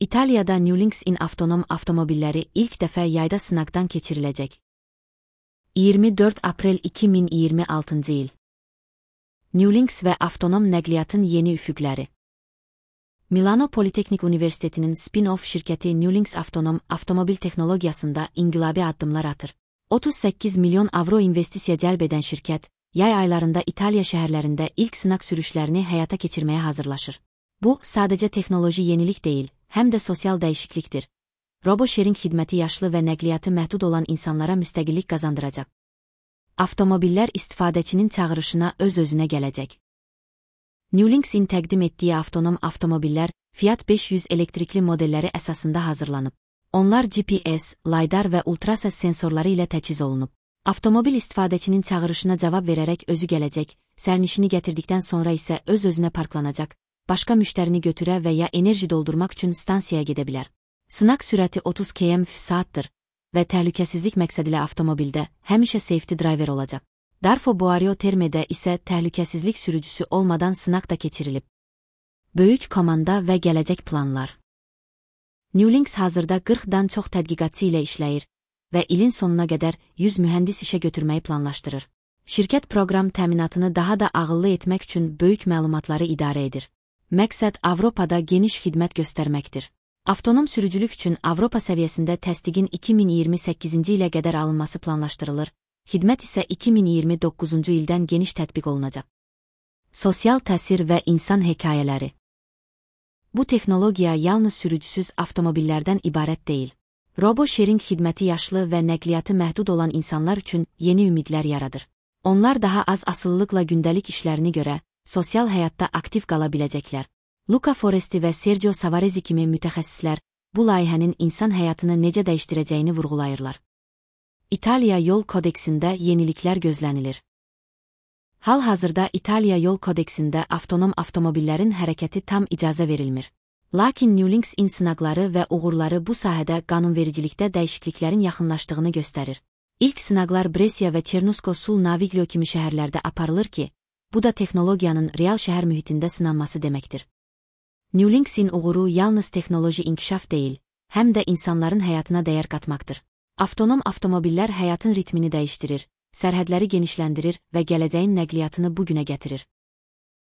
İtaliyada Newlinks-in avtonom avtomobilləri ilk dəfə yayda sınaqdan keçiriləcək. 24 aprel 2026 il. Newlinks və avtonom nəqliyyatın yeni üfüqləri. Milano Politeknik Universitetinin spin-off şirkəti Newlinks avtonom avtomobil texnologiyasında inqilabi addımlar atır. 38 milyon avro investisiya cəlb edən şirkət, yay aylarında İtaliya şəhərlərində ilk sınaq sürüşlərini həyata keçirməyə hazırlaşır. Bu, sadəcə texnoloji yenilik deyil, həm də sosial dəyişiklikdir. Robo-sharing xidməti yaşlı və nəqliyyatı məhdud olan insanlara müstəqillik qazandıracaq. Avtomobillər istifadəçinin çağırışına öz-özünə gələcək. Newlinks-in təqdim etdiyi avtonom avtomobillər Fiat 500 elektrikli modelləri əsasında hazırlanıb. Onlar GPS, LiDAR və ultrasəs sensorları ilə təchiz olunub. Avtomobil istifadəçinin çağırışına cavab verərək özü gələcək, sərnişini gətirdikdən sonra isə öz-özünə parklanacaq, başqa müştərini götürə və ya enerji doldurmaq üçün stansiyaya gedə bilər. Sınaq sürəti 30 km/saatdır və təhlükəsizlik məqsədilə avtomobildə həmişə safety driver olacaq. Darfo Boario Terme'də isə təhlükəsizlik sürücüsü olmadan sınaq da keçirilib. Böyük komanda və gələcək planlar. Newlinks hazırda 40-dan çox tədqiqatçı ilə işləyir və ilin sonuna qədər 100 mühəndis işə götürməyi planlaşdırır. Şirkət proqram təminatını daha da ağıllı etmək üçün böyük məlumatları idarə edir. Məqsəd Avropada geniş xidmət göstərməkdir. Avtonom sürücülük üçün Avropa səviyyəsində təsdiqin 2028-ci ilə qədər alınması planlaşdırılır, xidmət isə 2029-cu ildən geniş tətbiq olunacaq. Sosial təsir və insan hekayələri. Bu texnologiya yalnız sürücüsüz avtomobillərdən ibarət deyil. Robo-sharing xidməti yaşlı və nəqliyyatı məhdud olan insanlar üçün yeni ümidlər yaradır. Onlar daha az asılılıqla gündəlik işlərini görə, sosial həyatda aktiv qala biləcəklər. Luca Foresti və Sergio Savarezi kimi mütəxəssislər bu layihənin insan həyatını necə dəyişdirəcəyini vurğulayırlar. İtaliya Yol Kodeksində yeniliklər gözlənilir. Hal-hazırda İtaliya Yol Kodeksində avtonom avtomobillərin hərəkəti tam icazə verilmir. Lakin Newlinks-in sınaqları və uğurları bu sahədə qanunvericilikdə dəyişikliklərin yaxınlaşdığını göstərir. İlk sınaqlar Brescia və Çernusko sul Naviglio kimi şəhərlərdə aparılır ki, bu da texnologiyanın real şəhər mühitində sınanması deməkdir. Newlinks-in uğuru yalnız texnoloji inkişaf deyil, həm də insanların həyatına dəyər qatmaqdır. Avtonom avtomobillər həyatın ritmini dəyişdirir, sərhədləri genişləndirir və gələcəyin nəqliyyatını bugünə gətirir.